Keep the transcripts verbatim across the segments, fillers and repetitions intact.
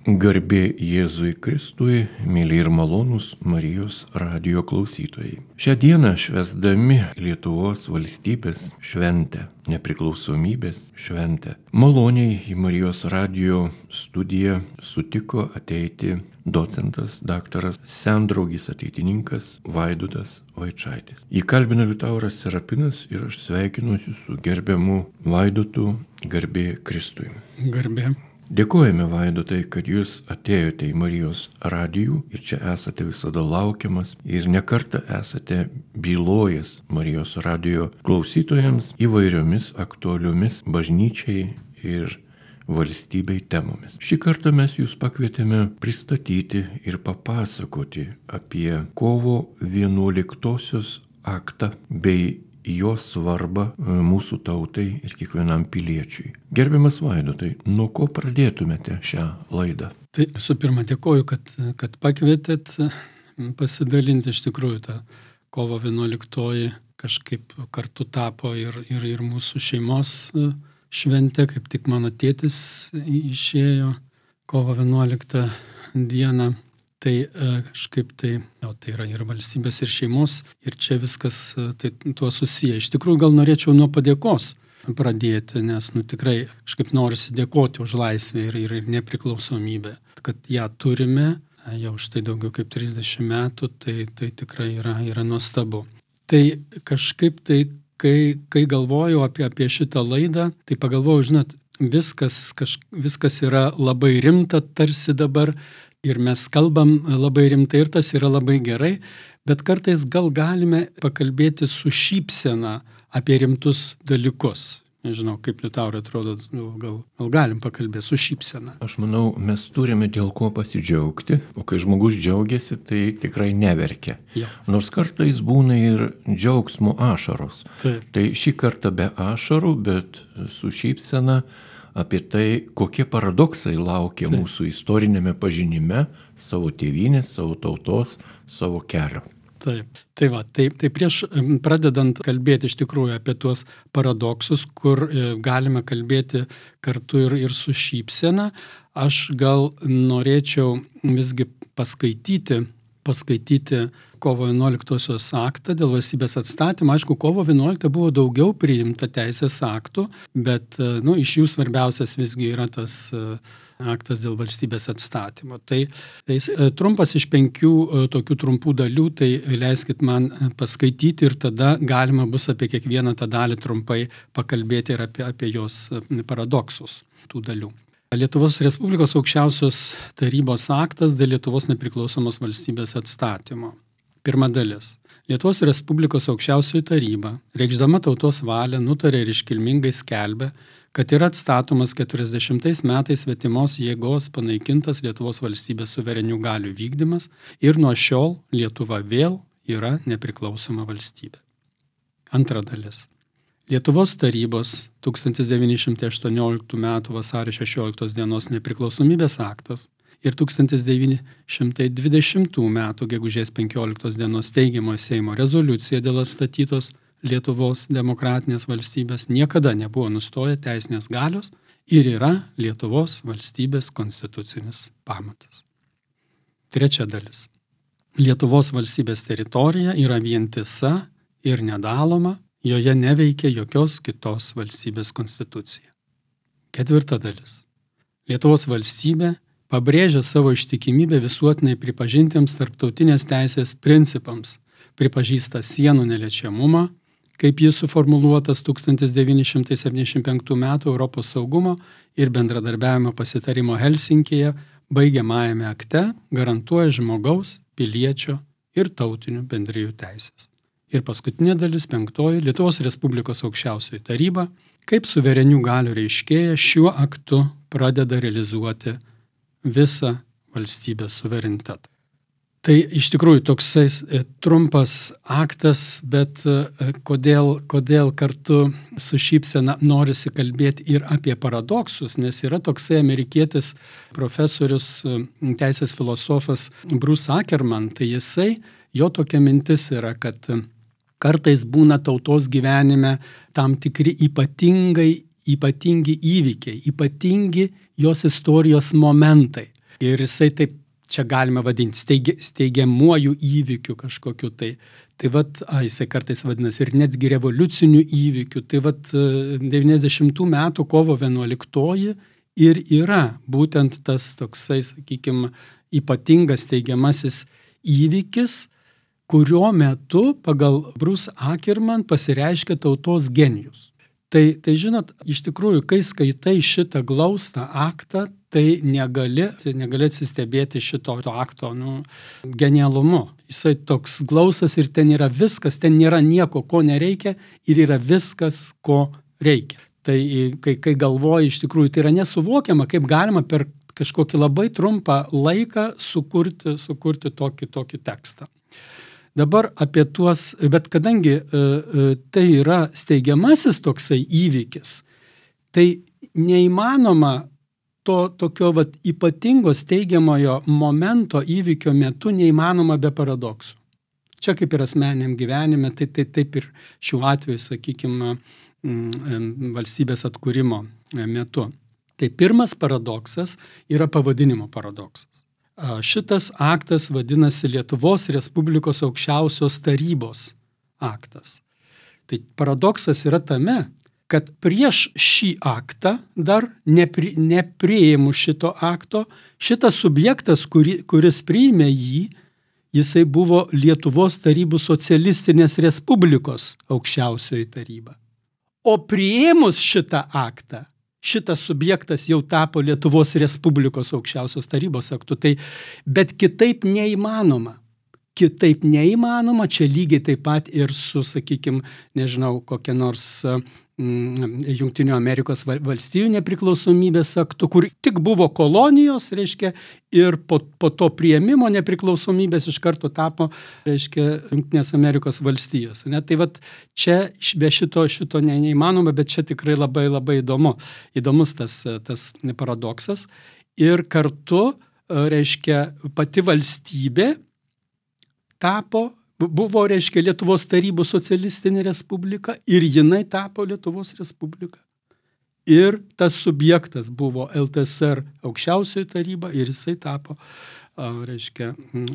Garbė Jėzui Kristui, mėly ir malonūs Marijos radijo klausytojai. Šią dieną švęsdami Lietuvos valstybės šventę, nepriklausomybės šventę, maloniai į Marijos radijo studiją sutiko ateiti docentas daktaras sendraugis ateitininkas Vaidotas Vaičaitis. Jį kalbina Liutauras Serapinas ir aš sveikinuosi su gerbiamu Vaidotu. Garbė Kristui. Garbė. Dėkojame, Vaidotai, kad jūs atėjote į Marijos radijų ir čia esate visada laukiamas ir nekartą esate bylojęs Marijos radijo klausytojams įvairiomis aktualiomis bažnyčiai ir valstybei temomis. Šį kartą mes jūs pakvietėme pristatyti ir papasakoti apie kovo vienuoliktosios aktą bei jo svarbą mūsų tautai ir kiekvienam piliečiui. Gerbiamas Vaidotai, nuo ko pradėtumėte šią laidą? Tai visų pirma dėkoju, kad, kad pakvietėt pasidalinti. Iš tikrųjų, ta kovo vienuoliktoji kažkaip kartu tapo ir, ir, ir mūsų šeimos šventė, kaip tik mano tėtis išėjo kovo vienuoliktą dieną. Tai kažkaip tai, o, tai yra ir valstybės, ir šeimos, ir čia viskas tai, tuo susiję. Iš tikrųjų, gal norėčiau nuo padėkos pradėti, nes nu, tikrai kažkaip norisi dėkoti už laisvę ir, ir, ir nepriklausomybę. Kad ją turime jau štai daugiau kaip trisdešimt metų, tai, tai tikrai yra, yra nuostabu. Tai kažkaip tai, kai, kai galvoju apie, apie šitą laidą, tai pagalvoju, žinot, viskas, kaž, viskas yra labai rimta tarsi dabar, ir mes kalbam labai rimtai ir tas yra labai gerai, bet kartais gal galime pakalbėti su šypsena apie rimtus dalykus. Nežinau, kaip Liutaurai atrodo, gal, gal galim pakalbėti su šypsena. Aš manau, mes turime dėl ko pasidžiaugti, o kai žmogus džiaugiasi, tai tikrai neverkia. Ja. Nors kartais būna ir džiaugsmo ašaros. Taip. Tai šį kartą be ašarų, bet su šypsena apie tai, kokie paradoksai laukia Taip. Mūsų istorinėme pažinime savo tėvynės, savo tautos, savo kelio. Taip, tai va, tai, tai prieš pradedant kalbėti iš tikrųjų apie tuos paradoksus, kur galime kalbėti kartu ir, ir su šypsena, aš gal norėčiau visgi paskaityti, paskaityti kovo vienuoliktosios aktą dėl valstybės atstatymo. Aišku, kovo vienuoliktą buvo daugiau priimta teisės aktų, bet nu, iš jų svarbiausias visgi yra tas aktas dėl valstybės atstatymo. Tai, tai trumpas iš penkių tokių trumpų dalių, tai leiskit man paskaityti ir tada galima bus apie kiekvieną tą dalį trumpai pakalbėti ir apie, apie jos paradoksus tų dalių. Lietuvos Respublikos aukščiausios tarybos aktas dėl Lietuvos nepriklausomos valstybės atstatymo. Pirma dalis. Lietuvos Respublikos aukščiausioji taryba, reikšdama tautos valią, nutarė ir iškilmingai skelbė, kad yra atstatomas keturiasdešimtais metais svetimos jėgos panaikintas Lietuvos valstybės suverenių galių vykdymas ir nuo šiol Lietuva vėl yra nepriklausoma valstybė. Antra dalis. Lietuvos tarybos tūkstantis devyni šimtai aštuonioliktų metų vasario šešioliktos dienos nepriklausomybės aktas ir tūkstantis devyni šimtai dvidešimtų metų gegužės penkioliktos dienos teigiamojo Seimo rezoliucija dėl atstatytos Lietuvos demokratinės valstybės niekada nebuvo nustoję teisinės galios ir yra Lietuvos valstybės konstitucinis pamatas. Trečia dalis. Lietuvos valstybės teritorija yra vientisa ir nedaloma, joje neveikia jokios kitos valstybės konstitucija. Ketvirta dalis. Lietuvos valstybė pabrėžia savo ištikimybę visuotinai pripažintiems tarptautinės teisės principams, pripažįsta sienų neliečiamumą, kaip jis suformuluotas tūkstantis devyni šimtai septyniasdešimt penktų metų Europos saugumo ir bendradarbiavimo pasitarimo Helsinkėje baigiamajame akte garantuoja žmogaus, piliečio ir tautinių bendrijų teisės. Ir paskutinė dalis, penktoji, Lietuvos Respublikos aukščiausioji taryba, kaip suverenių galių reiškėja, šiuo aktu pradeda realizuoti visą valstybės suverenitetą. Tai iš tikrųjų toksai trumpas aktas, bet kodėl, kodėl kartu su šypsena norisi kalbėti ir apie paradoksus, nes yra toksai amerikietis profesorius, teisės filosofas Bruce Ackerman, tai jisai, jo tokia mintis yra, kad kartais būna tautos gyvenime tam tikri ypatingai, ypatingi įvykiai, ypatingi jos istorijos momentai. Ir jisai taip, čia galime vadinti, steigi, steigiamuoju įvykiu kažkokiu tai. Tai vat, a, jisai kartais vadinasi ir netgi revoliuciniu įvykiu. Tai vat devyniasdešimtų metų kovo vienuoliktoji ir yra būtent tas toksai, sakykime, ypatingas steigiamasis įvykis, kurio metu pagal Bruce Ackerman pasireiškia tautos genijus. Tai, tai žinot, iš tikrųjų, kai skaitai šitą glaustą aktą, tai negali, negali atsistebėti šito akto nu, genialumu. Jisai toks glaustas ir ten yra viskas, ten nėra nieko, ko nereikia ir yra viskas, ko reikia. Tai kai, kai galvoji, iš tikrųjų, tai yra nesuvokiama, kaip galima per kažkokį labai trumpą laiką sukurti, sukurti tokį, tokį tekstą. Dabar apie tuos, bet kadangi e, e, tai yra steigiamasis toksai įvykis, tai neįmanoma to tokio vat, ypatingo steigiamojo momento įvykio metu neįmanoma be paradoksų. Čia kaip ir asmeniniam gyvenime, tai, tai taip ir šiuo atveju, sakykime, valstybės atkūrimo metu. Tai pirmas paradoksas yra pavadinimo paradoksas. Šitas aktas vadinasi Lietuvos Respublikos aukščiausios tarybos aktas. Tai paradoksas yra tame, kad prieš šį aktą dar nepri, nepriėmus šito akto, šitas subjektas, kuri, kuris priėmė jį, jisai buvo Lietuvos Tarybų Socialistinės Respublikos aukščiausioji taryba. O priėmus šitą aktą, šitas subjektas jau tapo Lietuvos Respublikos aukščiausios tarybos aktu. Tai, bet kitaip neįmanoma. Kitaip neįmanoma, čia lygiai taip pat ir su, sakykime, nežinau, kokia nors mm, Jungtinių Amerikos valstijų nepriklausomybės aktu, kur tik buvo kolonijos, reiškia, ir po, po to priėmimo nepriklausomybės iš karto tapo, reiškia, Jungtinės Amerikos valstijos. Ne? Tai vat čia be šito, šito ne, neįmanoma, bet čia tikrai labai labai įdomu. Įdomus tas, tas paradoksas. Ir kartu, reiškia, pati valstybė tapo, buvo, reiškia, Lietuvos Tarybų Socialistinė Respublika ir jinai tapo Lietuvos Respublika. Ir tas subjektas buvo L T S R aukščiausioji taryba ir jisai tapo, reiškia,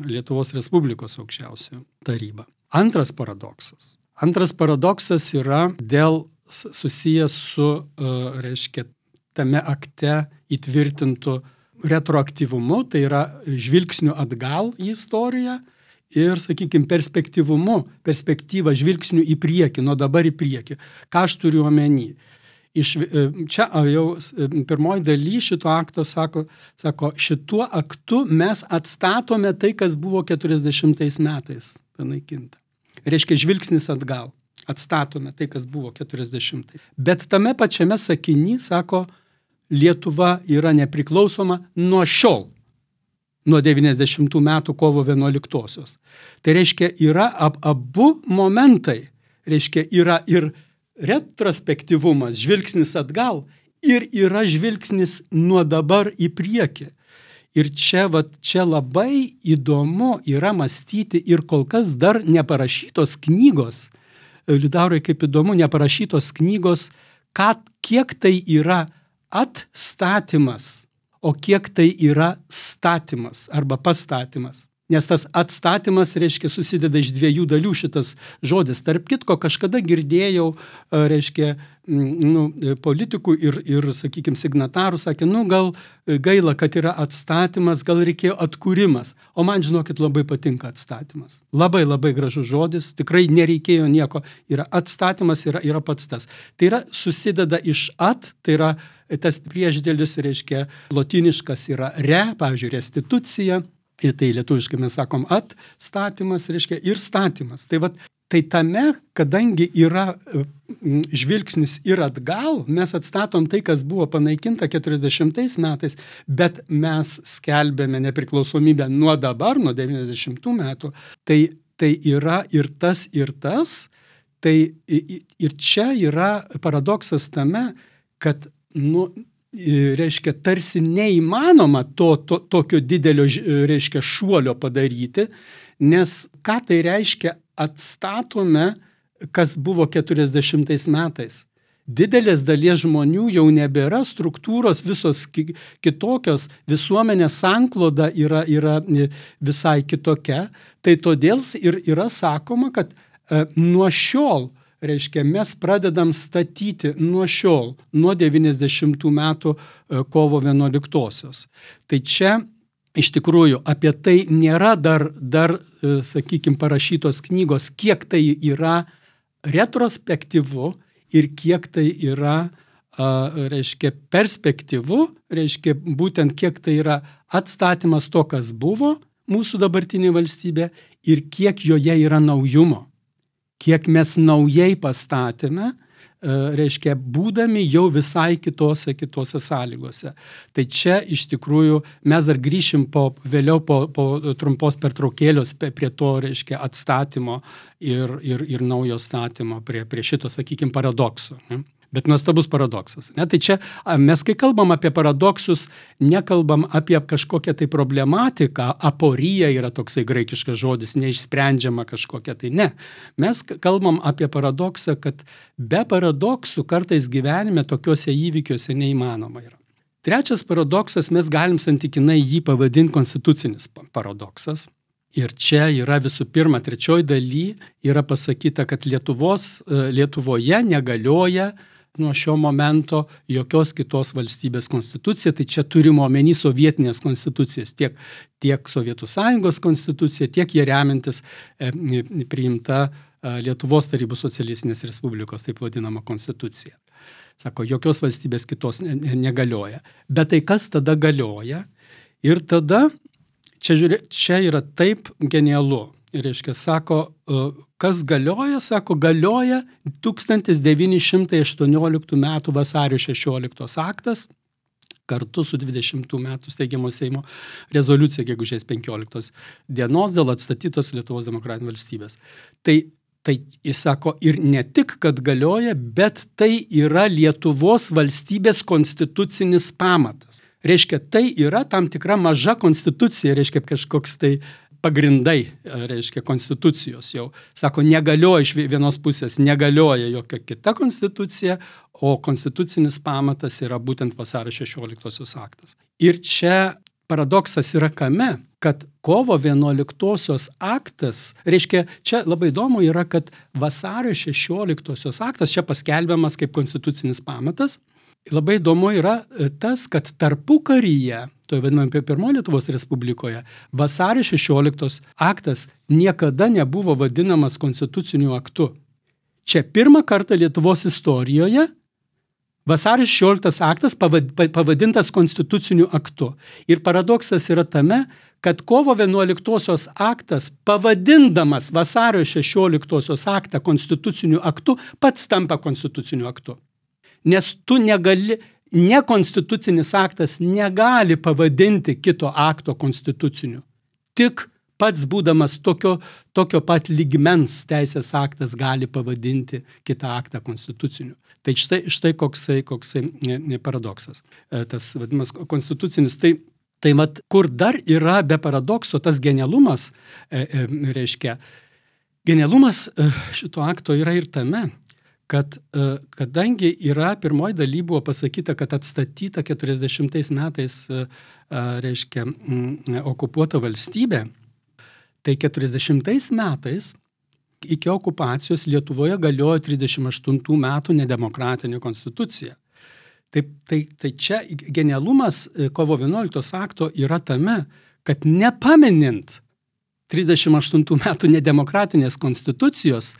Lietuvos Respublikos aukščiausioji taryba. Antras paradoksas. Antras paradoksas yra dėl susijęs su, reiškia, tame akte įtvirtintų retroaktyvumu, tai yra žvilgsniu atgal į istoriją, ir, sakykime, perspektyvumu, perspektyva žvilgsnių į priekį, nuo dabar į priekį. Ką aš turiu omeny? Iš, čia jau pirmoji daly šito akto sako, sako, šituo aktu mes atstatome tai, kas buvo keturiasdešimtais metais panaikinta. Reiškia, žvilgsnis atgal. Atstatome tai, kas buvo keturiasdešimtais. Bet tame pačiame sakiny, sako, Lietuva yra nepriklausoma nuo šiol. Nuo devyniasdešimtų metų kovo vienuoliktosios. Tai reiškia, yra ab, abu momentai. Reiškia, yra ir retrospektyvumas, žvilgsnis atgal, ir yra žvilgsnis nuo dabar į priekį. Ir čia, vat, čia labai įdomu yra mąstyti ir kol kas dar neparašytos knygos. Liutaurai, kaip įdomu, neparašytos knygos, kad, kiek tai yra atstatymas, o kiek tai yra statymas arba pastatymas. Nes tas atstatymas, reiškia, susideda iš dviejų dalių šitas žodis. Tarp kitko, kažkada girdėjau, reiškia, nu, politikų ir, ir, sakykime, signatarų sakė, nu, gal gaila, kad yra atstatymas, gal reikėjo atkūrimas. O man, žinokit, labai patinka atstatymas. Labai, labai gražus žodis, tikrai nereikėjo nieko. Yra atstatymas, yra, yra pats tas. Tai yra susideda iš at, tai yra tas priešdėlis, reiškia, lotyniškas yra re, pavyzdžiui, restitucija. Ir tai lietuviškai mes sakom atstatymas, reiškia, ir statymas. Tai, vat, tai tame, kadangi yra žvilgsnis ir atgal, mes atstatom tai, kas buvo panaikinta keturiasdešimtais metais, bet mes skelbėme nepriklausomybę nuo dabar, nuo devyniasdešimtų metų. Tai, tai yra ir tas, ir tas. Tai ir čia yra paradoksas tame, kad, nu, reiškia, tarsi neįmanoma to, to, tokio didelio, reiškia, šuolio padaryti, nes ką tai reiškia atstatome, kas buvo keturiasdešimtais metais. didelės dalies žmonių jau nebėra, struktūros visos kitokios, visuomenės sankloda yra, yra visai kitokia. Tai todėl ir yra sakoma, kad e, nuo šiol, reiškia, mes pradedam statyti nuo šiol, nuo devyniasdešimtų metų e, kovo vienuoliktosios. Tai čia iš tikrųjų apie tai nėra dar, dar e, sakykime, parašytos knygos, kiek tai yra retrospektyvu ir kiek tai yra, a, reiškia, perspektyvu, reiškia, būtent kiek tai yra atstatymas to, kas buvo mūsų dabartinė valstybė ir kiek joje yra naujumo. Kiek mes naujai pastatėme, reiškia, būdami jau visai kitose, kitose sąlygose. Tai čia iš tikrųjų mes dar grįšim po, vėliau po, po trumpos pertraukėlios prie to, reiškia, atstatymo ir, ir, ir naujo statymo prie, prie šito, sakykime, paradokso. Ne? Bet nuostabus paradoksas. Ne? Tai čia mes, kai kalbam apie paradoksus, nekalbam apie kažkokią tai problematiką, aporija yra toksai graikiškas žodis, neišsprendžiama kažkokia tai, ne. Mes kalbam apie paradoksą, kad be paradoksų kartais gyvenime tokiuose įvykiuose neįmanoma yra. Trečias paradoksas, mes galim santykinai jį pavadinti konstitucinis paradoksas. Ir čia yra visų pirma, trečioj daly yra pasakyta, kad Lietuvos, Lietuvoje negalioja nuo šio momento jokios kitos valstybės konstitucija, tai čia turime omeny sovietinės konstitucijas, tiek, tiek Sovietų Sąjungos konstitucija, tiek jie remintis e, priimta e, Lietuvos Tarybų Socialistinės Respublikos, taip vadinama konstitucija. Sako, jokios valstybės kitos ne, ne, negalioja. Bet tai kas tada galioja? Ir tada, čia, žiūrė, čia yra taip genialu. Reiškia, sako, kas galioja, sako, galioja tūkstantis devyni šimtai aštuonioliktų metų vasario šešioliktos aktas, kartu su dvidešimtų metų steigiamo Seimo rezoliucija gegužės penkioliktos dienos dėl atstatytos Lietuvos demokratinės valstybės. Tai, tai jis sako, ir ne tik, kad galioja, bet tai yra Lietuvos valstybės konstitucinis pamatas. Reiškia, tai yra tam tikra maža konstitucija, reiškia, kažkoks tai pagrindai, reiškia, konstitucijos jau. Sako, negalioja iš vienos pusės, negalioja jokia kita konstitucija, o konstitucinis pamatas yra būtent vasario šešioliktosios aktas. Ir čia paradoksas yra kame, kad kovo vienuoliktosios aktas, reiškia, čia labai įdomu yra, kad vasario šešioliktosios aktas čia paskelbiamas kaip konstitucinis pamatas. Labai įdomu yra tas, kad tarpukaryje, to vadiname apie pirmojo Lietuvos Respublikoje, vasario šešioliktos aktas niekada nebuvo vadinamas konstituciniu aktu. Čia pirmą kartą Lietuvos istorijoje vasario šešioliktas aktas pavadintas konstituciniu aktu. Ir paradoksas yra tame, kad kovo vienuoliktosios aktas, pavadindamas vasario šešioliktosios aktą konstituciniu aktu, pats tampa konstituciniu aktu. Nes tu negali, nekonstitucinis aktas negali pavadinti kito akto konstituciniu. Tik pats būdamas tokio, tokio pat lygmens teisės aktas gali pavadinti kitą aktą konstituciniu. Tai štai, štai koksai, koksai paradoksas. Tas vadinamas konstitucinis. Tai, tai mat, kur dar yra be paradokso tas genialumas, e, e, reiškia, genialumas šito akto yra ir tame, kad kadangi yra pirmoji daly buvo pasakyta, kad atstatyta keturiasdešimtais metais, reiškia, okupuota valstybė, tai keturiasdešimtais metais iki okupacijos Lietuvoje galiojo trisdešimt aštuntų metų nedemokratinė konstitucija. Tai, tai, tai čia genialumas kovo vienuoliktos akto yra tame, kad nepaminint trisdešimt aštuntų metų nedemokratinės konstitucijos,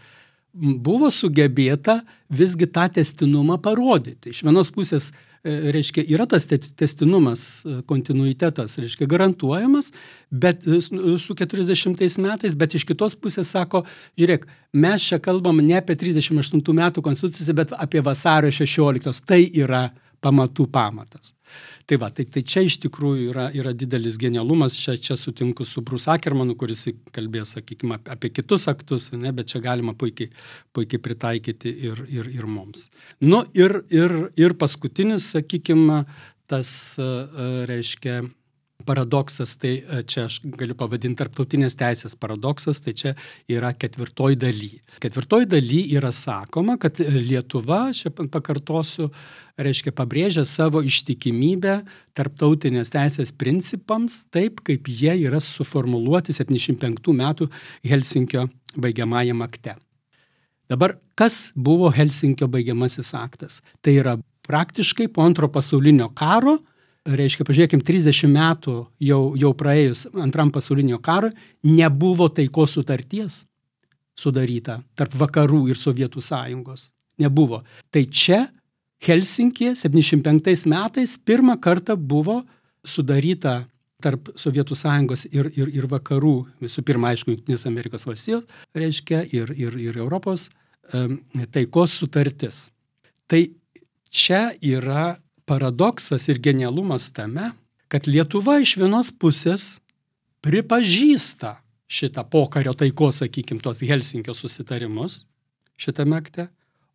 buvo sugebėta visgi tą testinumą parodyti. Iš vienos pusės, reiškia, yra tas testinumas, kontinuitetas, reiškia, garantuojamas, bet su keturiasdešimtais metais, bet iš kitos pusės sako, žiūrėk, mes čia kalbam ne apie trisdešimt aštuntų metų konstituciją, bet apie vasario šešioliktos. Tai yra pamatų pamatas. Tai va, tai, tai čia iš tikrųjų yra, yra didelis genialumas, čia, čia sutinku su Bruce Ackermanu, kuris kalbėjo, sakykime, apie kitus aktus, ne, bet čia galima puikiai, puikiai pritaikyti ir, ir, ir mums. Nu ir, ir, ir paskutinis, sakykime, tas, reiškia, paradoksas, tai čia aš galiu pavadinti tarptautinės teisės paradoksas, tai čia yra ketvirtoj daly. Ketvirtoj daly yra sakoma, kad Lietuva, čia pakartosiu, reiškia pabrėžia savo ištikimybę tarptautinės teisės principams, taip kaip jie yra suformuluoti septyniasdešimt penktų metų Helsinkio baigiamajam akte. Dabar, kas buvo Helsinkio baigiamasis aktas? Tai yra praktiškai po antro pasaulinio karo, reiškia, pažiūrėkim, trisdešimt metų jau, jau praėjus antram pasaulinio karo, nebuvo taikos sutarties sudaryta tarp vakarų ir Sovietų sąjungos. Nebuvo. Tai čia Helsinkėje septyniasdešimt penktais metais pirmą kartą buvo sudaryta tarp Sovietų sąjungos ir, ir, ir vakarų, visų pirma, aišku, Jungtinės Amerikos valstijos, reiškia, ir, ir, ir Europos um, taikos sutartis. Tai čia yra paradoksas ir genialumas tame, kad Lietuva iš vienos pusės pripažįsta šitą pokario taikos, sakykim, tos Helsinkio susitarimus šitame akte,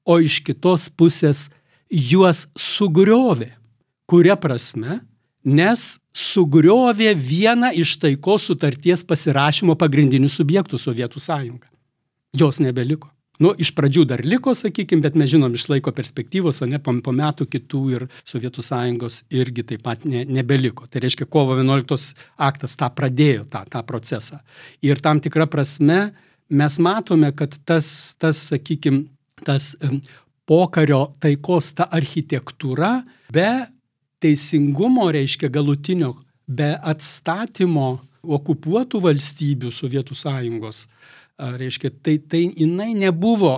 o iš kitos pusės juos sugriovė. Kuria prasme? Nes sugriovė vieną iš taikos sutarties pasirašymo pagrindinių subjektų Sovietų sąjungą. Jos nebeliko. Nu, iš pradžių dar liko, sakykime, bet mes žinom iš laiko perspektyvos, o ne po, po metų kitų ir Sovietų sąjungos irgi taip pat ne, nebeliko. Tai reiškia, kovo vienuoliktos aktas tą pradėjo, tą, tą procesą. Ir tam tikrą prasme mes matome, kad tas, tas sakykime, tas pokario taikos ta architektūra be teisingumo, reiškia galutinio, be atstatymo okupuotų valstybių Sovietų sąjungos, reiškia, tai, tai jinai nebuvo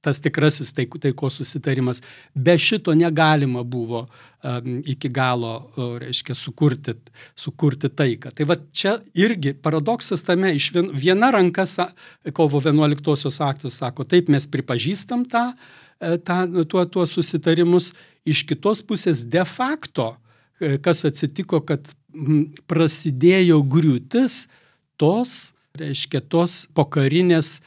tas tikrasis taik, taikos susitarimas. Be šito negalima buvo um, iki galo, reiškia, sukurti, sukurti taiką. Tai va čia irgi paradoksas tame, iš vien, viena ranka kovo vienuoliktosios aktas sako, taip mes pripažįstam tą, tą, tuo, tuo susitarimus, iš kitos pusės de facto, kas atsitiko, kad prasidėjo griūtis tos, reiškia, tos pokarinės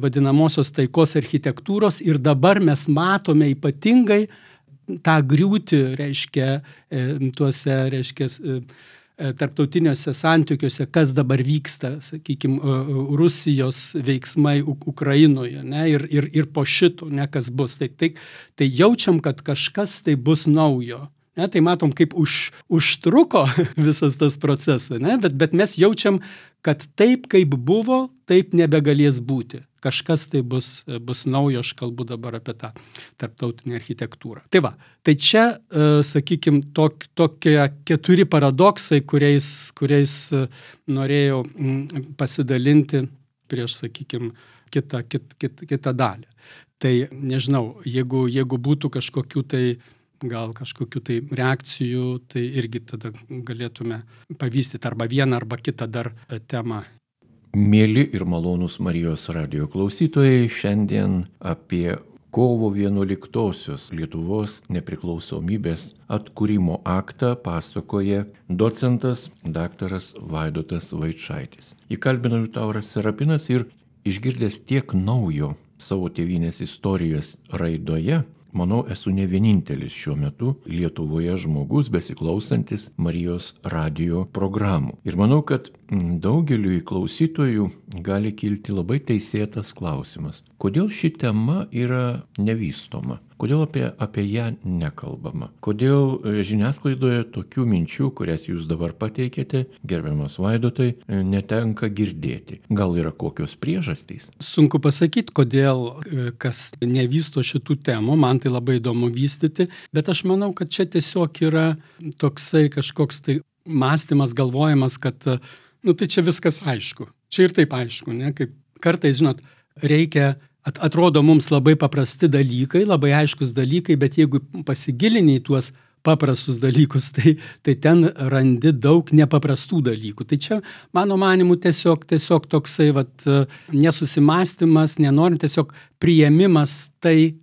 vadinamosios taikos architektūros ir dabar mes matome ypatingai tą griūtį, reiškia, tuose, reiškia, tarptautiniuose santykiuose, kas dabar vyksta, sakykime, Rusijos veiksmai Ukrainoje, ne, ir, ir, ir po šito, ne, kas bus. Tai, tai, tai jaučiam, kad kažkas tai bus naujo. Ne, tai matom, kaip už, užtruko visas tas procesas, ne, bet, bet mes jaučiam, kad taip, kaip buvo, taip nebegalės būti. Kažkas tai bus, bus naujo, aš kalbu dabar apie tą tarptautinę architektūrą. Tai va, tai čia, sakykime, tok, tokie keturi paradoksai, kuriais, kuriais norėjau pasidalinti prieš, sakykime, kitą, kit, kit, kitą dalį. Tai nežinau, jeigu, jeigu būtų kažkokių tai gal kažkokių tai reakcijų, tai irgi tada galėtume pavystyti arba vieną, arba kitą dar temą. Mėly ir malonūs Marijos radijo klausytojai, šiandien apie kovo vienuoliktosios Lietuvos nepriklausomybės atkūrimo aktą pasakoja docentas daktaras Vaidotas Vaičaitis. Įkalbino Liutauras Serapinas ir išgirdęs tiek naujo savo tėvynės istorijos raidoje, manau, esu ne vienintelis šiuo metu Lietuvoje žmogus besiklausantis Marijos radijo programų. Ir manau, kad daugeliui klausytojų gali kilti labai teisėtas klausimas. Kodėl ši tema yra nevystoma? Kodėl apie, apie ją nekalbama? Kodėl žiniasklaidoje tokių minčių, kurias jūs dabar pateikėte, gerbiamas Vaidotai, netenka girdėti? Gal yra kokios priežastys? Sunku pasakyti, kodėl kas nevysto šitų temų, man tai labai įdomu vystyti, bet aš manau, kad čia tiesiog yra toksai kažkoks tai mąstymas, galvojimas, kad nu tai čia viskas aišku. Čia ir taip aišku, ne? Kaip kartais, žinot, reikia atrodo mums labai paprasti dalykai, labai aiškus dalykai, bet jeigu pasigilini į tuos paprastus dalykus, tai, tai ten randi daug nepaprastų dalykų. Tai čia, mano manimu, tiesiog, tiesiog toksai vat, nesusimąstymas, nenorint tiesiog priėmimas tai,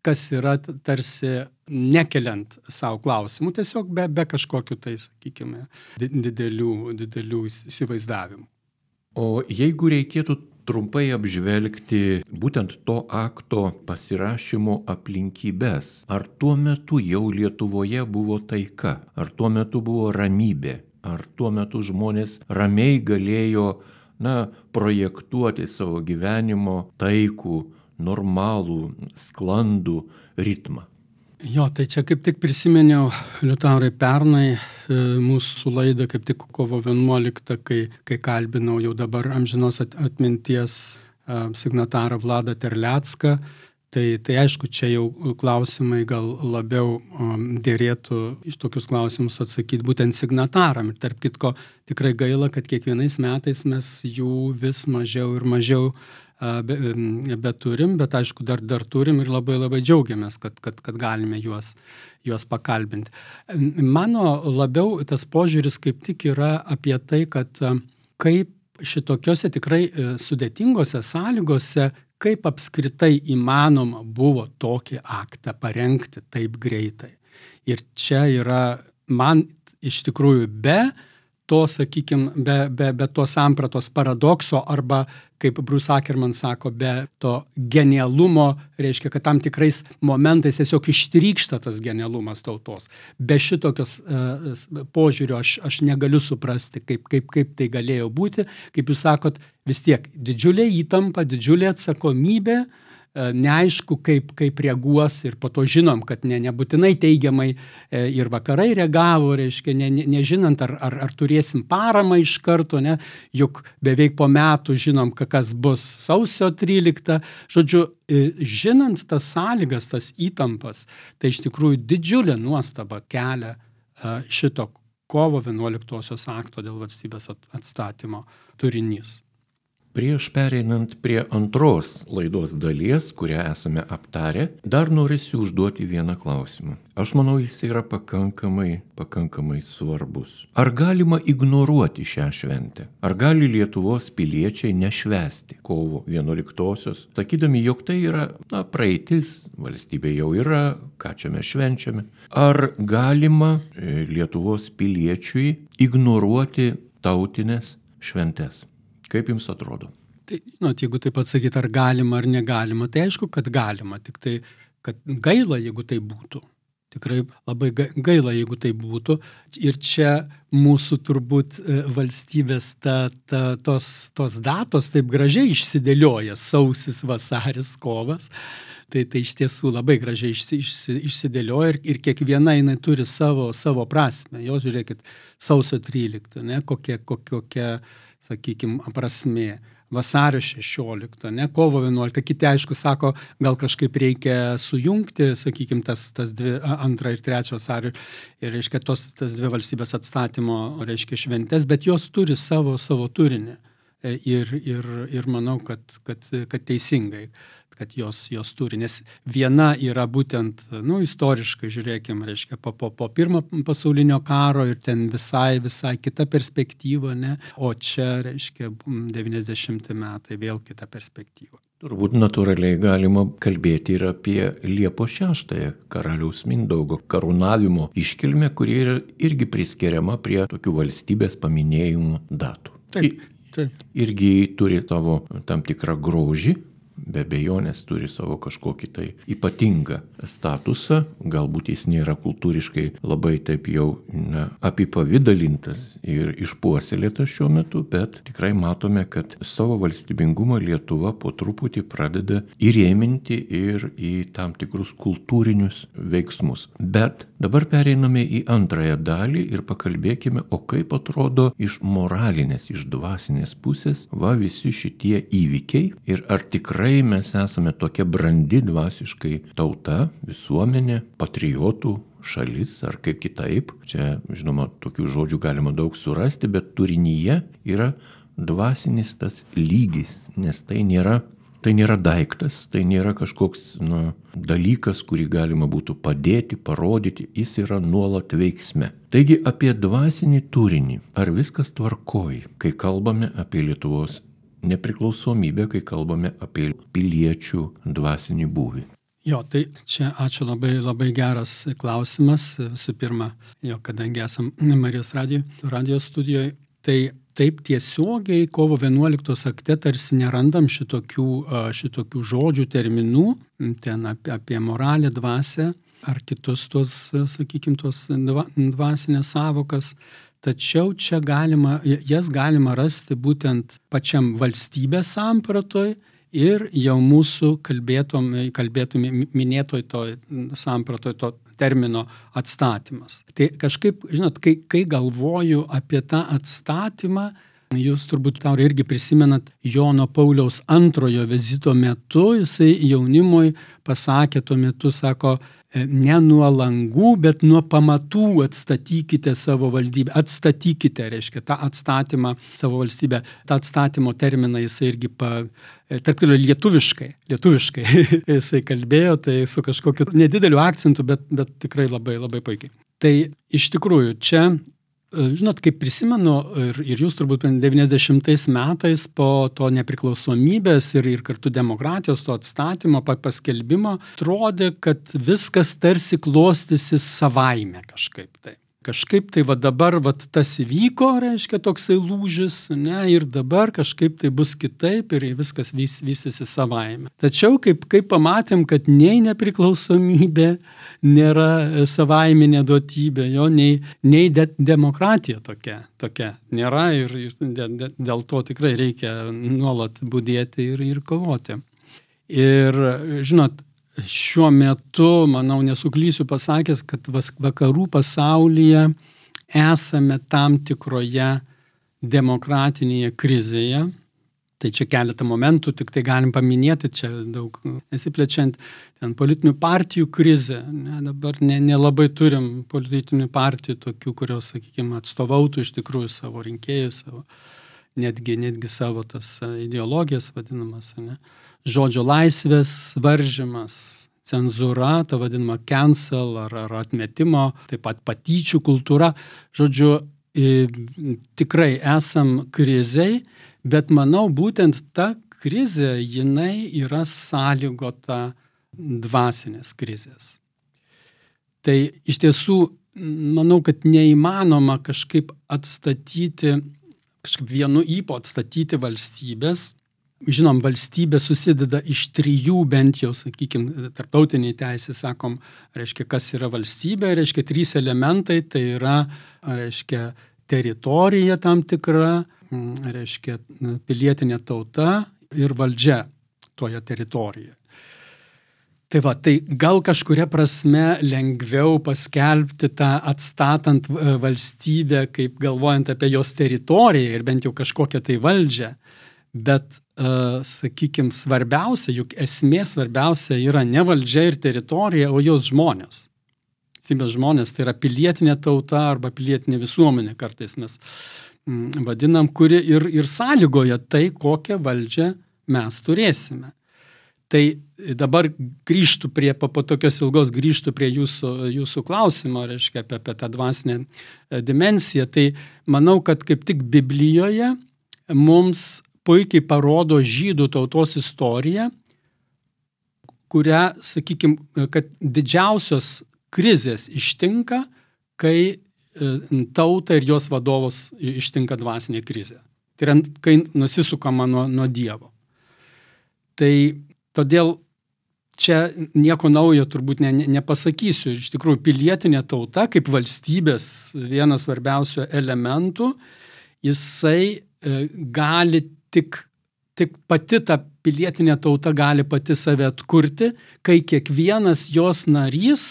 kas yra tarsi nekeliant savo klausimų, tiesiog be, be kažkokių tai, sakykime, didelių, didelių įsivaizdavimų. O jeigu reikėtų trumpai apžvelgti būtent to akto pasirašymo aplinkybes. Ar tuo metu jau Lietuvoje buvo taika? Ar tuo metu buvo ramybė? Ar tuo metu žmonės ramiai galėjo, na, projektuoti savo gyvenimo taikų, normalų, sklandų ritmą? Jo, tai čia kaip tik prisiminiau, Liutaurai, pernai mūsų laidą, kaip tik kovo vienuoliktą, kai, kai kalbinau jau dabar amžinos atminties signatarą Vladą Terlecką. Tai, tai aišku, čia jau klausimai gal labiau um, dėrėtų iš tokius klausimus atsakyti būtent signataram. Ir tarp kitko, tikrai gaila, kad kiekvienais metais mes jų vis mažiau ir mažiau uh, be, beturim, bet aišku, dar, dar turim ir labai labai džiaugiamės, kad, kad, kad galime juos, juos pakalbinti. Mano labiau tas požiūris kaip tik yra apie tai, kad uh, kaip šitokiose tikrai uh, sudėtingose sąlygose, kaip apskritai įmanoma buvo tokį aktą parengti taip greitai. Ir čia yra man iš tikrųjų be to, sakykime, be, be, be to sampratos paradokso arba, kaip Bruce Ackerman sako, be to genialumo, reiškia, kad tam tikrais momentais tiesiog ištrykšta tas genialumas tautos. Be šitokios uh, požiūrio aš, aš negaliu suprasti, kaip, kaip, kaip tai galėjo būti. Kaip jūs sakot, vis tiek didžiulė įtampa, didžiulė atsakomybė, neaišku, kaip, kaip reaguos ir po to žinom, kad ne, nebūtinai teigiamai ir vakarai reagavo, reiškia, ne, ne, nežinant, ar, ar, ar turėsim paramą iš karto, ne, juk beveik po metų žinom, kas bus sausio tryliktą. Žodžiu, žinant tas sąlygas, tas įtampas, tai iš tikrųjų didžiulė nuostaba kelia šito kovo vienuoliktosios akto dėl valstybės atstatymo turinys. Prieš pereinant prie antros laidos dalies, kurią esame aptarę, dar norėsiu užduoti vieną klausimą. Aš manau, jis yra pakankamai, pakankamai svarbus. Ar galima ignoruoti šią šventę? Ar gali Lietuvos piliečiai nešvęsti kovo vienuoliktosios, sakydami, jog tai yra, na, praeitis, valstybė jau yra, ką čia mes švenčiame? Ar galima Lietuvos piliečiui ignoruoti tautinės šventes? Kaip jums atrodo? Tai, žinot, jeigu taip atsakyti, ar galima, ar negalima, tai aišku, kad galima, tik tai, kad gaila, jeigu tai būtų. Tikrai labai gaila, jeigu tai būtų. Ir čia mūsų turbūt valstybės ta, ta, tos, tos datos taip gražiai išsidėlioja, sausis, vasaris, kovas. Tai, tai iš tiesų labai gražiai išsi, išsi, išsidėlioja ir, ir kiekviena jinai turi savo, savo prasmę. Jo, žiūrėkit, sausio tryliktą, ne, kokia, kokia, sakykime, prasmė. Vasario šešioliktą, ne, kovo vienuoliktą. Kiti, aišku, sako, gal kažkaip reikia sujungti, sakykime, tas, tas dvi, antrą ir trečią vasario, ir, reiškia, tos, tas dvi valstybės atstatymo, reiškia, šventės, bet jos turi savo, savo turinį. Ir, ir, ir manau, kad, kad, kad teisingai, kad jos, jos turi, nes viena yra būtent, nu, istoriškai, žiūrėkime, reiškia, po, po, po pirmo pasaulinio karo ir ten visai, visai kita perspektyva, ne, o čia, reiškia, devyniasdešimti metai, vėl kita perspektyva. Turbūt natūraliai galima kalbėti ir apie Liepos šeštąją, karaliaus Mindaugo karūnavimo iškilmę, kuri yra irgi priskiriama prie tokių valstybės paminėjimų datų. Taip, taip. Irgi turi savo tam tikrą grožį, be abejonės turi savo kažkokį tai ypatingą statusą, galbūt jis nėra kultūriškai labai taip jau, na, apipavidalintas ir išpuoselėtas šiuo metu, bet tikrai matome, kad savo valstybingumą Lietuva po truputį pradeda įrėminti ir į tam tikrus kultūrinius veiksmus. Bet dabar pereiname į antrąją dalį ir pakalbėkime, o kaip atrodo iš moralinės, iš dvasinės pusės va visi šitie įvykiai ir ar tikrai mes esame tokia brandi dvasiškai tauta, visuomenė, patriotų šalis ar kaip kitaip. Čia, žinoma, tokių žodžių galima daug surasti, bet turinyje yra dvasinis tas lygis, nes tai nėra, tai nėra daiktas, tai nėra kažkoks, na, dalykas, kurį galima būtų padėti, parodyti, jis yra nuolat veiksme. Taigi apie dvasinį turinį, ar viskas tvarkoj, kai kalbame apie Lietuvos nepriklausomybę, kai kalbame apie piliečių dvasinį būvį. Jo, tai čia ačiū, labai, labai geras klausimas. Visų pirma, jo, kadangi esam Marijos radijo, radijos studijoje, tai taip tiesiogiai kovo vienuoliktos akte tarsi nerandam šitokių, šitokių žodžių, terminų, ten apie, apie moralę, dvasę ar kitus tos, sakykime, tos dvasinės savokas. tačiau čia galima, jas galima rasti būtent pačiam valstybės sampratoj ir jau mūsų kalbėtom, kalbėtum minėtoj to sampratoj to termino atstatymas. Tai kažkaip, žinot, kai, kai galvoju apie tą atstatymą, jūs turbūt Taurai irgi prisimenat Jono Pauliaus antrojo vizito metu, jisai jaunimui pasakė tuo metu, sako, ne nuo langų, bet nuo pamatų atstatykite savo valdybę. Atstatykite, reiškia, tą atstatymą savo valstybę. Ta atstatymo terminą jisai irgi, pa, tarp kitko, lietuviškai, lietuviškai jisai kalbėjo, tai su kažkokiu nedideliu akcentu, bet, bet tikrai labai, labai puikiai. Tai iš tikrųjų čia, žinot, kaip prisimenu, ir, ir jūs turbūt devyniasdešimtais metais po to nepriklausomybės ir, ir kartu demokratijos, to atstatymo, paskelbimo, atrodė, kad viskas tarsi klostysi savaime kažkaip tai. Kažkaip tai va dabar va tas įvyko, reiškia toksai lūžis, ne, ir dabar kažkaip tai bus kitaip ir viskas vis, vystysi savaime. Tačiau kaip, kaip pamatėm, kad nei nepriklausomybė nėra savaiminė duotybė, jo, nei, nei de, demokratija tokia, tokia nėra ir, ir de, de, dėl to tikrai reikia nuolat budėti ir, ir kovoti. Ir žinot, šiuo metu, manau, nesuklysiu pasakęs, kad vakarų pasaulyje esame tam tikroje demokratinėje krizėje. Tai čia keletą momentų, tik tai galim paminėti, čia daug nesiplečiant, ten politinių partijų krizė. Ne, dabar ne, nelabai turim politinių partijų tokių, kurios, sakykime, atstovautų iš tikrųjų savo rinkėjus, savo, netgi, netgi savo tas ideologijas vadinamas, ne. Žodžio laisvės varžymas, cenzūra, ta vadinama cancel ar, ar atmetimo, taip pat patyčių kultūra. Žodžiu, tikrai esam krizei, bet manau, būtent ta krizė, jinai yra sąlygota dvasinės krizės. Tai iš tiesų, manau, kad neįmanoma kažkaip atstatyti, kažkaip vienu ypu atstatyti valstybės. Žinom, valstybė susideda iš trijų, bent jau, sakykime, tarptautiniai teisė, sakom, reiškia, kas yra valstybė, reiškia, trys elementai, tai yra, reiškia, teritorija tam tikra, reiškia, pilietinė tauta ir valdžia toje teritorijoje. Tai va, tai gal kažkuria prasme lengviau paskelbti tą atstatant valstybę, kaip galvojant apie jos teritoriją ir bent jau kažkokią tai valdžią. Bet, uh, sakykime, svarbiausia, juk esmė svarbiausia yra ne valdžia ir teritorija, o jos žmonės. Valstybės žmonės tai yra pilietinė tauta arba pilietinė visuomenė, kartais mes mm, vadinam, kuri ir, ir sąlygoja tai, kokią valdžią mes turėsime. Tai dabar grįžtų prie, po, po tokios ilgos grįžtų prie jūsų, jūsų klausimo, reiškia, apie, apie tą dvasinę dimensiją. Tai manau, kad kaip tik Biblijoje mums puikiai parodo žydų tautos istoriją, kurią, sakykime, kad didžiausios krizės ištinka, kai tauta ir jos vadovus ištinka dvasinė krizė. Tai yra, kai nusisukama nuo, nuo Dievo. Tai todėl čia nieko naujo turbūt ne, ne, nepasakysiu. Iš tikrųjų, pilietinė tauta, kaip valstybės vienas svarbiausių elementų, jisai e, gali Tik, tik pati ta pilietinė tauta gali pati save atkurti, kai kiekvienas jos narys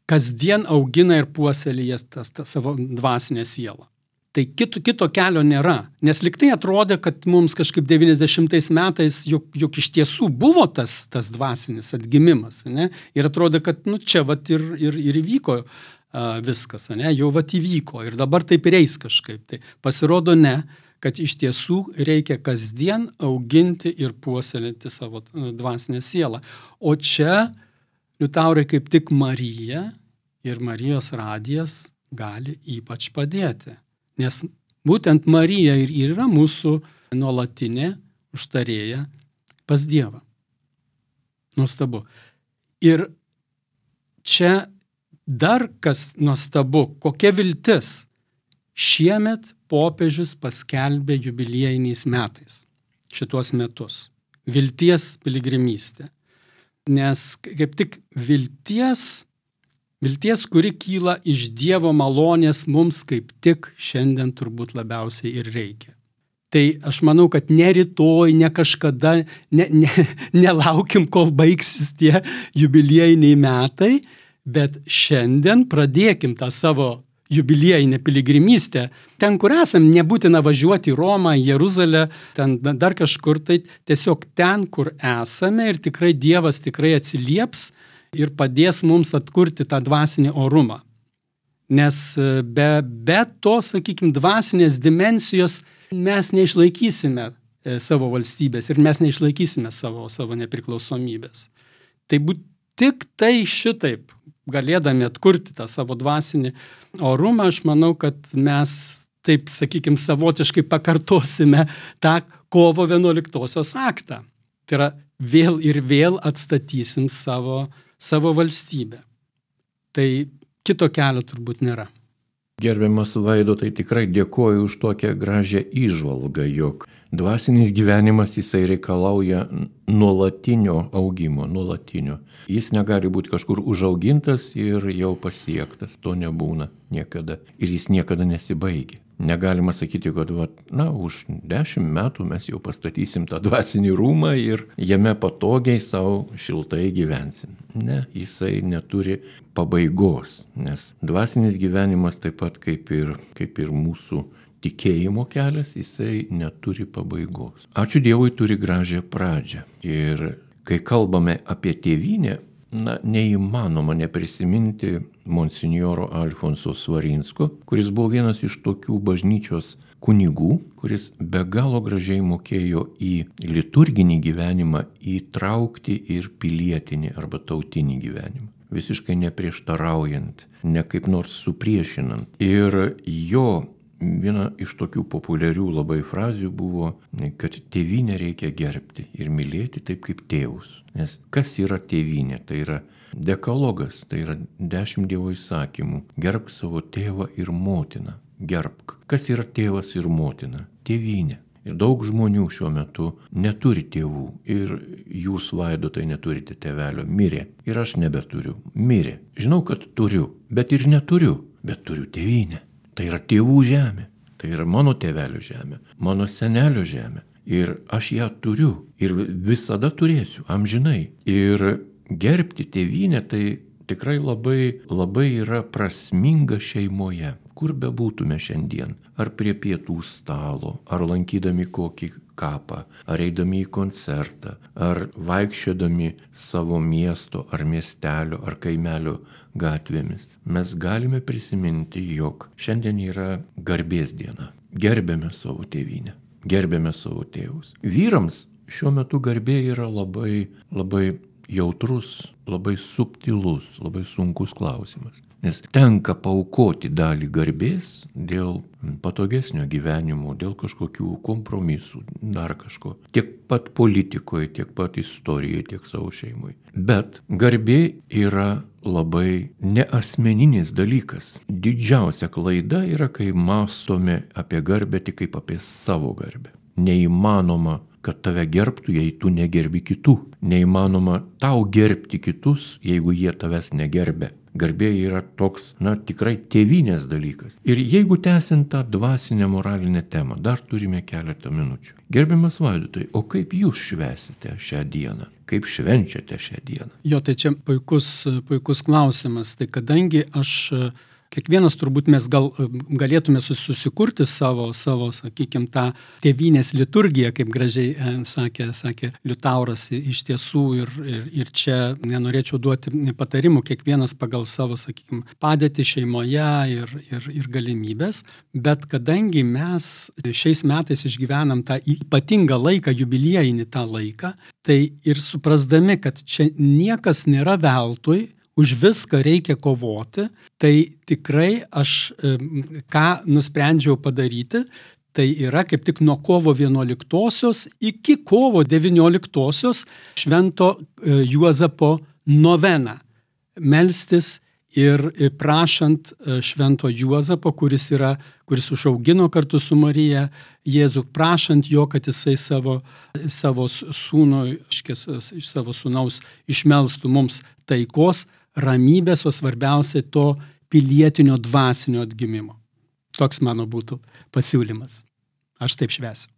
kasdien augina ir puoselėja tas, tas savo dvasinę sielą. Tai kito, kito kelio nėra, nes lyg tai atrodė, kad mums kažkaip devyniasdešimtais metais juk, juk iš tiesų buvo tas, tas dvasinis atgimimas, ne? Ir atrodė, kad nu, čia vat ir, ir, ir įvyko uh, viskas, ne? Jau vat įvyko ir dabar taip ir eis kažkaip. Tai pasirodo ne, kad iš tiesų reikia kasdien auginti ir puoselėti savo dvasinę sielą. O čia, Liutaurai, kaip tik Marija ir Marijos radijas gali ypač padėti. Nes būtent Marija ir yra mūsų nuolatinė užtarėja pas Dievą. Nuostabu. Ir čia dar kas nuostabu, kokia viltis. Šiemet popiežius paskelbė jubiliejiniais metais šituos metus. Vilties piligrimystė. Nes kaip tik vilties Vilties, kuri kyla iš Dievo malonės mums kaip tik šiandien turbūt labiausiai ir reikia. Tai aš manau, kad ne rytoj, ne kažkada, ne, ne, nelaukim, kol baigsis tie jubiliejiniai metai, bet šiandien pradėkim tą savo jubiliejinę piligrimystę. Ten, kur esam, nebūtina važiuoti į Romą, į Jeruzalę, ten dar kažkur, tai tiesiog ten, kur esame ir tikrai Dievas tikrai atsilieps ir padės mums atkurti tą dvasinį orumą. Nes be, be to, sakykime, dvasinės dimensijos mes neišlaikysime savo valstybės ir mes neišlaikysime savo, savo nepriklausomybės. Tai būt tik tai šitaip, galėdami atkurti tą savo dvasinį orumą, aš manau, kad mes taip, sakykime, savotiškai pakartosime tą kovo vienuoliktosios aktą. Tai yra vėl ir vėl atstatysim savo, savo valstybę. Tai kito kelio turbūt nėra. Gerbiamas Vaidotai, tikrai dėkoju už tokią gražią įžvalgą, jog dvasinis gyvenimas jisai reikalauja nuolatinio augimo, nuolatinio. Jis negali būti kažkur užaugintas ir jau pasiektas, to nebūna niekada ir jis niekada nesibaigia. Negalima sakyti, kad va, na, už dešimt metų mes jau pastatysim tą dvasinį rūmą ir jame patogiai savo šiltai gyvensim. Ne, jisai neturi pabaigos, nes dvasinis gyvenimas taip pat kaip ir, kaip ir mūsų tikėjimo kelias, jisai neturi pabaigos. Ačiū Dievui, turi gražią pradžią. Ir kai kalbame apie tėvynę, na, neįmanoma neprisiminti monsinjoro Alfonso Svarinsko, kuris buvo vienas iš tokių bažnyčios kunigų, kuris be galo gražiai mokėjo į liturginį gyvenimą įtraukti ir pilietinį arba tautinį gyvenimą. Visiškai neprieštaraujant, ne kaip nors supriešinant. Ir jo viena iš tokių populiarių labai frazių buvo, kad tėvynę reikia gerbti ir mylėti taip kaip tėvus. Nes kas yra tėvynė? Tai yra dekalogas, tai yra dešimt Dievo įsakymų. Gerbk savo tėvą ir motiną. Gerbk. Kas yra tėvas ir motina? Tėvynė. Ir daug žmonių šiuo metu neturi tėvų. Ir jūs, Vaidotai, neturite tėvelio. Mirė. Ir aš nebeturiu. Mirė. Žinau, kad turiu, bet ir neturiu. Bet turiu tėvynę. Tai yra tėvų žemė, tai yra mano tėvelio žemė, mano senelio žemė. Ir aš ją turiu ir visada turėsiu, amžinai. Ir gerbti tėvynę tai tikrai labai, labai yra prasminga šeimoje, kur bebūtume šiandien. Ar prie pietų stalo, ar lankydami kokį kapą, ar eidami į koncertą, ar vaikščiodami savo miesto, ar miestelio, ar kaimelio gatvėmis. Mes galime prisiminti, jog šiandien yra garbės diena. Gerbėme savo tėvynę, gerbėme savo tėvus. Vyrams šiuo metu garbė yra labai, labai jautrus, labai subtilus, labai sunkus klausimas. Nes tenka paaukoti dalį garbės dėl patogesnio gyvenimo, dėl kažkokių kompromisų, dar kažko. Tiek pat politikoje, tiek pat istorijoje, tiek savo šeimoje. Bet garbė yra labai neasmeninis dalykas. Didžiausia klaida yra, kai mąstome apie garbę tik kaip apie savo garbę. Neįmanoma, kad tave gerbtų, jei tu negerbi kitų. Neįmanoma tau gerbti kitus, jeigu jie tavęs negerbė. Garbė yra toks, na, tikrai tėvynės dalykas. Ir jeigu tęsiant tą dvasinę moralinę temą, dar turime keletą minučių. Gerbiamas Vaidotai, o kaip jūs švęsite šią dieną? Kaip švenčiate šią dieną? Jo, tai čia puikus, puikus klausimas. Tai kadangi aš... Kiekvienas turbūt mes gal, galėtume susikurti savo, savo, sakykime, tą tėvynės liturgiją, kaip gražiai sakė, sakė Liutauras iš tiesų ir, ir, ir čia nenorėčiau duoti patarimų, kiekvienas pagal savo, sakykime, padėtį šeimoje ir, ir, ir galimybės, bet kadangi mes šiais metais išgyvenam tą ypatingą laiką, jubiliejinį tą laiką, tai ir suprasdami, kad čia niekas nėra veltui, už viską reikia kovoti, tai tikrai aš ką nusprendžiau padaryti, tai yra kaip tik nuo kovo vienuoliktosios iki kovo devynioliktosios švento Juozapo noveną melstis ir prašant švento Juozapo, kuris, yra, kuris užaugino kartu su Marija Jėzų, prašant jo, kad jisai savo, savo sūnų, iš savo sūnaus išmelstų mums taikos, ramybės, o svarbiausia to pilietinio dvasinio atgimimo. Toks mano būtų pasiūlymas. Aš taip švęsiu.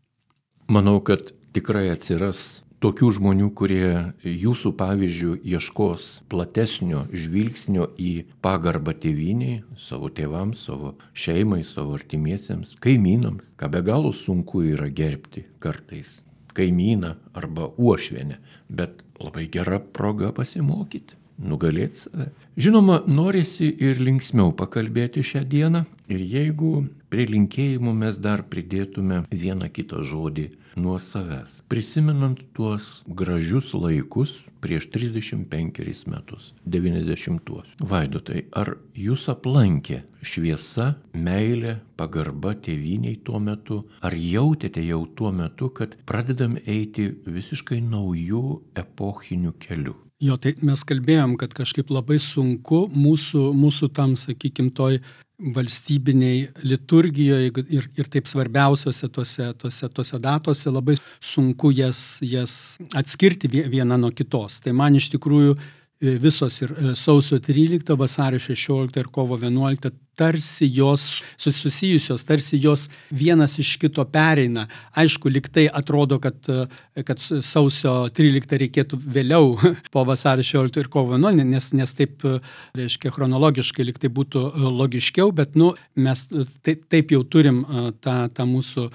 Manau, kad tikrai atsiras tokių žmonių, kurie jūsų pavyzdžių ieškos platesnio žvilgsnio į pagarbą tėvynei, savo tėvams, savo šeimai, savo artimiesiems, kaimynams, ką be galo sunku yra gerbti kartais kaimyną arba uošvienę, bet labai gera proga pasimokyti, nugalėti save. Žinoma, norisi ir linksmiau pakalbėti šią dieną ir jeigu prie linkėjimų mes dar pridėtume vieną kitą žodį nuo savęs, prisimenant tuos gražius laikus prieš trisdešimt penkerius metus, devyniasdešimtuosius. Vaidotai, ar jūs aplankė šviesa, meilė, pagarba tėvyniai tuo metu? Ar jautėte jau tuo metu, kad pradedam eiti visiškai naujų epochinių kelių? Jo, tai mes kalbėjom, kad kažkaip labai sunku mūsų, mūsų tam, sakykime, toj valstybiniai liturgijoje ir, ir taip svarbiausiose tose, tose, tose datose labai sunku jas, jas atskirti vieną nuo kitos. Tai man iš tikrųjų visos ir sausio tryliktą, vasario šešioliktą ir kovo vienuoliktą tarsi jos susijusios, tarsi jos vienas iš kito pereina. Aišku, lyg tai atrodo, kad, kad sausio tryliktą reikėtų vėliau po vasario šešiolikto ir kovo vienuoliktą, nes, nes taip, reiškia, chronologiškai lyg tai būtų logiškiau, bet nu, mes taip, taip jau turim tą, tą mūsų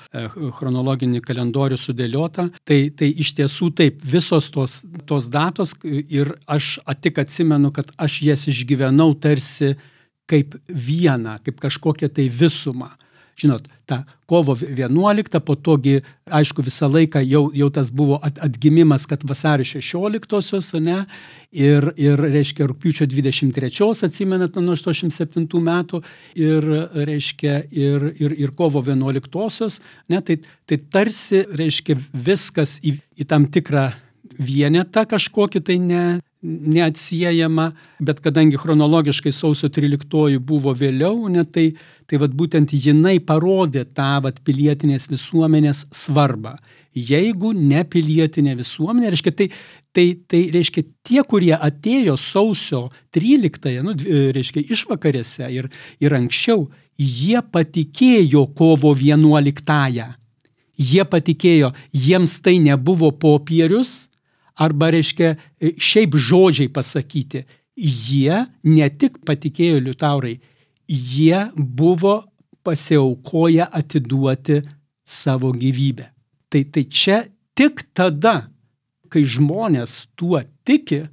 chronologinį kalendorių sudėliotą. Tai, tai iš tiesų taip, visos tos, tos datos ir aš tik atsimenu, kad aš jas išgyvenau tarsi kaip vieną, kaip kažkokią tai visumą. Žinot, ta kovo vienuolikta, po togi, aišku, visą laiką jau, jau tas buvo atgimimas, kad vasario šešioliktosios, ne, ir, ir, reiškia, rugpjūčio dvidešimt trečios, atsimenat, nuo aštuoniasdešimt septintų metų, ir, reiškia, ir, ir, ir kovo vienuoliktosios, ne, tai, tai tarsi, reiškia, viskas į, į tam tikrą vienetą kažkokį tai ne, neatsiejama, bet kadangi chronologiškai sausio tryliktoji buvo vėliau, ne, tai, tai vat būtent jinai parodė tą vat pilietinės visuomenės svarbą. Jeigu ne pilietinė visuomenė, reiškia, tai, tai, tai reiškia tie, kurie atėjo sausio tryliktąją, nu, reiškia, išvakarėse ir, ir anksčiau, jie patikėjo kovo vienuoliktąją. Jie patikėjo, jiems tai nebuvo popierius, arba, reiškia, šiaip žodžiai pasakyti. Jie ne tik patikėjo, Liutaurai, jie buvo pasiaukoję atiduoti savo gyvybę. Tai, tai čia tik tada, kai žmonės tuo tiki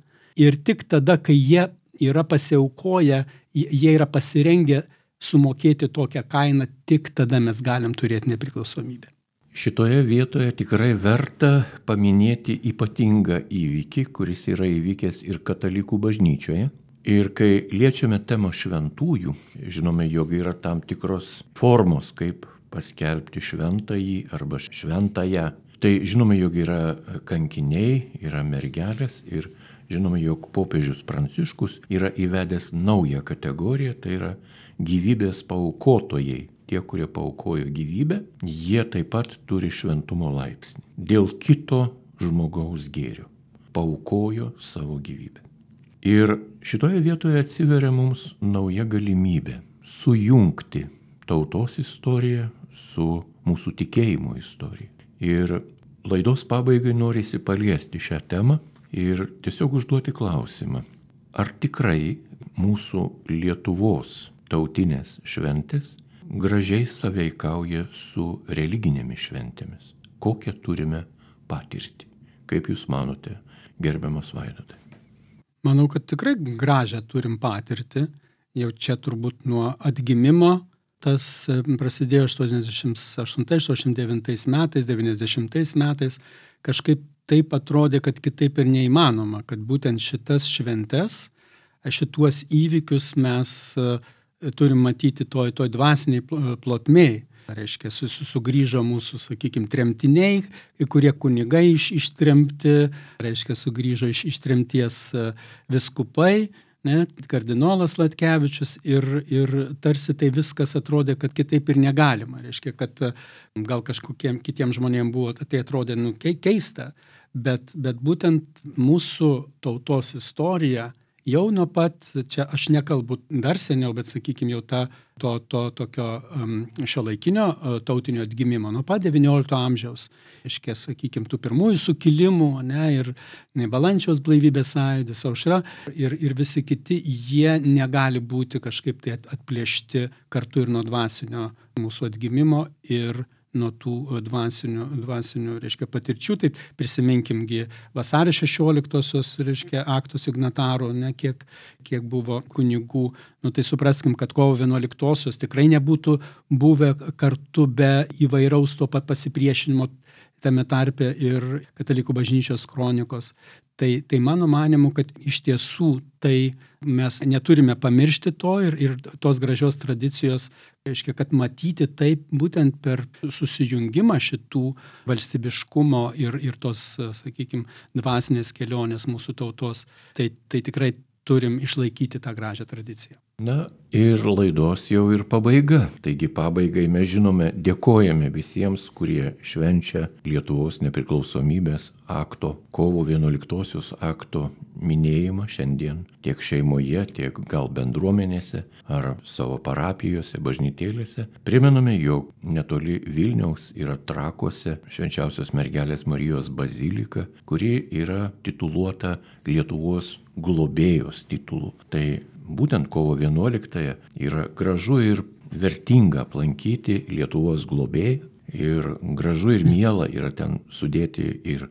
ir tik tada, kai jie yra pasiaukoję, jie yra pasirengę sumokėti tokią kainą, tik tada mes galim turėti nepriklausomybę. Šitoje vietoje tikrai verta paminėti ypatingą įvykį, kuris yra įvykęs ir katalikų bažnyčioje. Ir kai liečiame temą šventųjų, žinome, jog yra tam tikros formos, kaip paskelbti šventąjį arba šventąją. Tai žinome, jog yra kankiniai, yra mergelės ir žinome, jog popiežius Pranciškus yra įvedęs naują kategoriją, tai yra gyvybės paaukotojai. Tie, kurie paaukojo gyvybę, jie taip pat turi šventumo laipsnį. Dėl kito žmogaus gėrio. Paaukojo savo gyvybę. Ir šitoje vietoje atsiveria mums nauja galimybė sujungti tautos istoriją su mūsų tikėjimo istorija. Ir laidos pabaigai norisi paliesti šią temą ir tiesiog užduoti klausimą. Ar tikrai mūsų Lietuvos tautinės šventės gražiai sąveikauja su religinėmis šventėmis? Kokią turime patirtį? Kaip jūs manote, gerbiamas Vaidotai? Manau, kad tikrai gražią turim patirtį. Jau čia turbūt nuo atgimimo tas prasidėjo aštuoniasdešimt aštuntais aštuoniasdešimt devintais metais, devyniasdešimtais metais. Kažkaip taip atrodė, kad kitaip ir neįmanoma, kad būtent šitas šventes, šituos įvykius mes turim matyti toj, toj dvasiniai plotmėj. Reiškia, su, su, sugrįžo mūsų, sakykime, tremtiniai, kurie kunigai iš, ištremti, reiškia, sugrįžo iš, iš tremties viskupai, ne, kardinolas Latkevičius ir, ir tarsi tai viskas atrodė, kad kitaip ir negalima. Reiškia, kad gal kažkokiem kitiem žmonėm buvo, tai atrodė nu, keista, bet, bet būtent mūsų tautos istorija jau nuo pat, čia aš nekalbu dar seniau, bet sakykime jau ta, to, to tokio um, šiuolaikinio uh, tautinio atgimimo, nuo pat devyniolikto amžiaus, iškės, sakykime, tų pirmųjų sukilimų, ne, ir ne, Balandžiaus blaivybės sąjūdis, Aušra ir, ir visi kiti, jie negali būti kažkaip tai atplėšti kartu ir nuo dvasinio mūsų atgimimo ir nuo tų dvasinių, dvasinių reiškia, patirčių. Taip prisiminkimgi vasario šešioliktosios, reiškia, akto signatarų, ne, kiek, kiek buvo kunigų. Nu, tai supraskim, kad kovo vienuoliktosios tikrai nebūtų buvę kartu be įvairaus to pat pasipriešinimo tame tarpe ir Katalikų bažnyčios kronikos. Tai, tai mano manimu, kad iš tiesų tai mes neturime pamiršti to ir, ir tos gražios tradicijos, reiškia, kad matyti taip būtent per susijungimą šitų valstybiškumo ir, ir tos, sakykime, dvasinės kelionės mūsų tautos, tai, tai tikrai turim išlaikyti tą gražią tradiciją. Na ir laidos jau ir pabaiga. Taigi pabaigai mes žinome, dėkojame visiems, kurie švenčia Lietuvos nepriklausomybės akto, kovo vienuoliktosios akto minėjimą šiandien tiek šeimoje, tiek gal bendruomenėse ar savo parapijose, bažnytėlėse. Primename, jog netoli Vilniaus yra Trakuose Švenčiausios mergelės Marijos bazilika, kuri yra tituluota Lietuvos globėjos titulu. Tai būtent kovo vienuoliktąją yra gražu ir vertinga aplankyti Lietuvos globėją ir gražu ir miela yra ten sudėti ir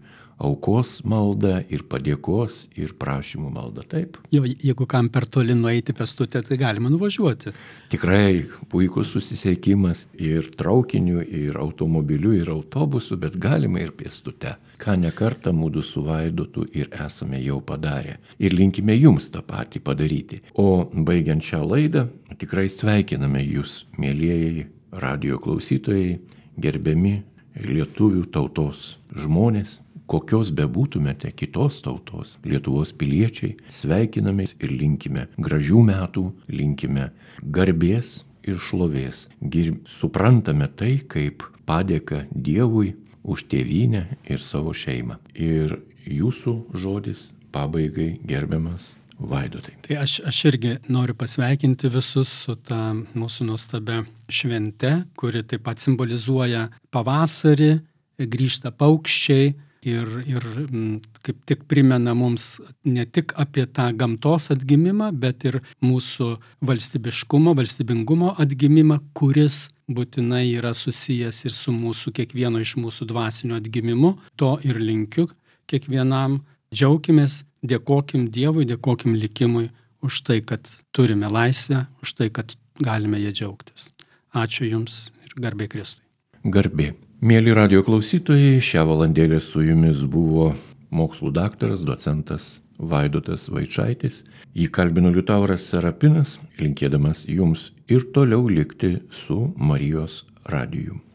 aukos maldą, ir padėkos, ir prašymų maldą. Taip. Jo, jeigu kam per toli nueiti pėstute, tai galima nuvažiuoti. Tikrai puikus susisiekimas ir traukiniu, ir automobiliu, ir autobusu, bet galima ir pėstute. Ką nekartą mūdu su Vaidotu ir esame jau padarę. Ir linkime jums tą patį padaryti. O baigiant šią laidą, tikrai sveikiname jūs, mielieji radijo klausytojai, gerbiami lietuvių tautos žmonės, kokios bebūtumėte kitos tautos, Lietuvos piliečiai, sveikiname ir linkime gražių metų, linkime garbės ir šlovės. Gir... Suprantame tai kaip padėką Dievui už tėvynę ir savo šeimą. Ir jūsų žodis pabaigai, gerbiamas Vaidotai. Tai aš, aš irgi noriu pasveikinti visus su ta mūsų nuostabia švente, kuri taip pat simbolizuoja pavasarį, grįžta paukščiai, Ir, ir kaip tik primena mums ne tik apie tą gamtos atgimimą, bet ir mūsų valstybiškumo, valstybingumo atgimimą, kuris būtinai yra susijęs ir su mūsų kiekvieno iš mūsų dvasinio atgimimu. To ir linkiu kiekvienam. Džiaukimės, dėkokim Dievui, dėkokim likimui už tai, kad turime laisvę, už tai, kad galime ją džiaugtis. Ačiū Jums ir garbė Kristui. Garbė. Mėly radijo klausytojai, šią valandėlę su jumis buvo mokslų daktaras, docentas Vaidotas Vaičaitis. Jį kalbino Liutauras Serapinas, linkėdamas jums ir toliau likti su Marijos radiju.